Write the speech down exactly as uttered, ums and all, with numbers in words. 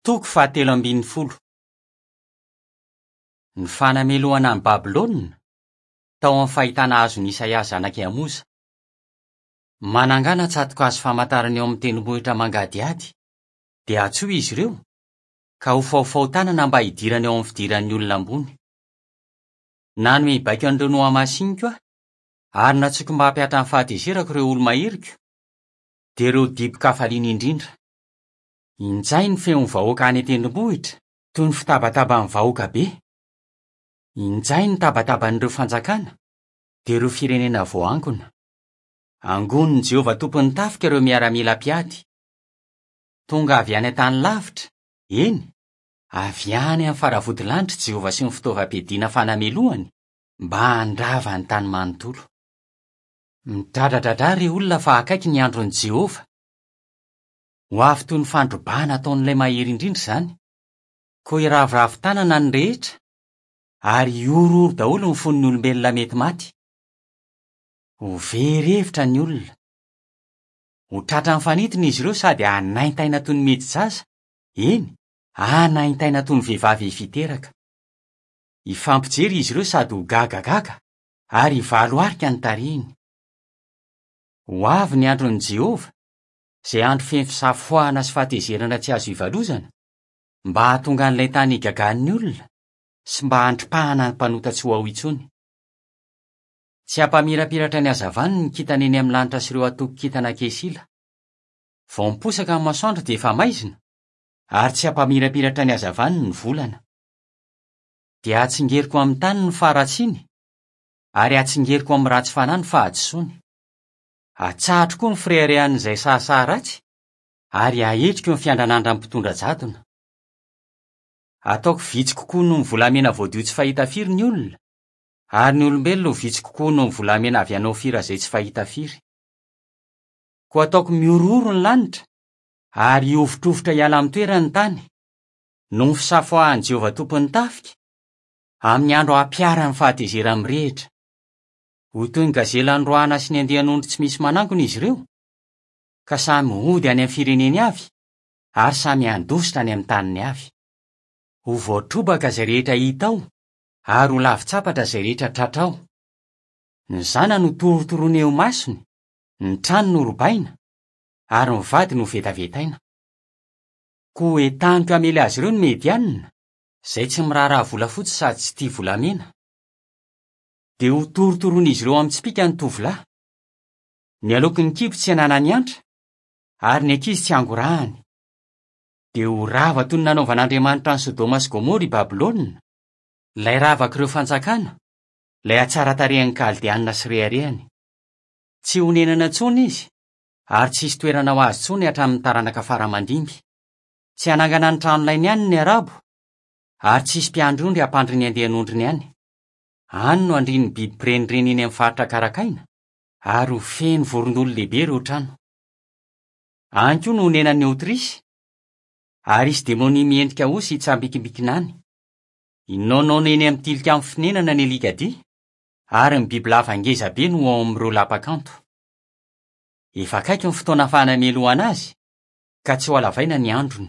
Toko fahatelo ambin'ny folo. Ny fanamelohana an'i Babylona tao amin'ny fahitana azon'i Isaia zanak'i Amoza. Manangana tsato-kazo famantarana eo amin'ny tendrombohitra mangadihady, dia antsoy izy ireo, ka ho faofaotanana mba hidirana eo amin'ny fidiran'ny olona ambony. Nanome baiko an'ireo nohamasiniko aho, ary nantsoiko mba hampihatra ny fahatezerako ireo olo-maheriko, dia ireo dibo-kafaliana indrindra. Injay ny feon'ny vahoaka any an-tendrombohitra toy ny fitabataban'ny vahoaka be. Injay ny tabataban'ireo fanjakana, dia ireo firenena voaangona. Angonin'i Jehovah tompon'ny tafika ireo miaramila mpiady. Tonga avy any an-tany lavitra, eny, avy any amin'ny faravodilanitra Jehovah sy ny fitaovam-piadiana fanamelohany mba handrava ny tany manontolo. Midradradradra re olona fa akaiky ny andron'i Jehovah. Ho avy toy ny fandrobana ataon'ilay mahery indrindra izany. Koa hiraviravy tanana ny rehetra, ary hihorohoro daholo ny fon'ny olombelona mety maty. Ho very hevitra ny olona. Ho tratran'ny fanintona izy ireo sady hanaintaina toy ny midi-jaza, eny, hanaintaina toy ny vehivavy hiteraka. Hifampijery izy ireo sady ho gagagaga, ary hivaloarika ny tarehiny. Ho avy ny andron'i Jehovah, izay andro feno fisafoahana sy fahatezerana tsy azo ivalozana, mba hahatonga an'ilay tany higagan'ny olona sy mba handripahana ny mpanota tsy ho ao intsony. Tsy hampamirapiratra ny hazavany ny kintana eny amin'ny lanitra sy ireo antokon-kintana kesila. Vao miposaka ny masoandro dia efa maizina, ary tsy hampamirapiratra ny hazavany ny volana. Dia hatsingeriko amin'ny tany ny faharatsiany, ary hatsingeriko amin'ny ratsy fanahy ny fahadisoany. Atsahatro koa ny fireharehan'izay sahasaha ratsy, ary hahetriko ny fiandranandran'ny mpitondra jadona. Ataoko vitsy kokoa noho ny volamena voadio tsy fahita firy ny olona, ary ny olombelona ho vitsy kokoa noho ny volamena avy any Ofira izay tsy fahita firy. Koa ataoko mihorohoro ny lanitra, ary hihovitrovitra hiala amin'ny toerany ny tany, noho ny fisafoahan'i Jehovah tompon'ny tafika, amin'ny andro hampiharany fahatezerany mirehitra. Ho toy ny gazela noroahana sy ny andian'ondry tsy misy manangona izy ireo, ka samy hody any amin'ny fireneny avy, ary samy handositra any amin'ny taniny avy. Ho voatrobaka izay rehetra hita ao, ary ho lavitsapatra izay rehetra tratra ao. Ny zanany ho torotoroina eo imasony, ny trano no robaina, ary ny vady no vetavetaina. Koa entaniko hamely azy ireo ny Medianina, izay tsy miraharaha volafotsy sady tsy tia volamena. Dia ho torotoroin'izy ireo amin'ny tsipìka ny tovolahy. Ny aloky ny kibo tsy ananany antra, ary ny ankizy tsy angorahany. Dia ho rava toy ny nanaovan'Andriamanitra an'i Sodoma sy Gomora i Babylona, ilay ravak'ireo fanjakana, ilay hatsaran-tarehan'ny Kaldeanina sy reharehany. Tsy honenana intsony izy, ary tsy hisy toerana ho azy intsony hatramin'ny taranaka faramandimby. Tsy hanangana ny tranolainy ihany ny Arabo, ary tsy hisy mpiandry ondry hampandry ny andian'ondriny ihany. Any no handrian'ny biby mpirenireny eny amin'ny faritra karakaina, ary ho feno vorondolo lehibe ireo trano. Any koa no honenan'ny Aotrisy, ary hisy demonia miendrika osy hitsambikimbikina any. Hinaonaona eny amin'ny tilikambo fonenana ny alikadia, ary ny bibilava ngeza be no ao amin'ireo lapa-kanto. Efa akaiky ny fotoana fanamelohana azy, ka tsy ho halavaina ny androny.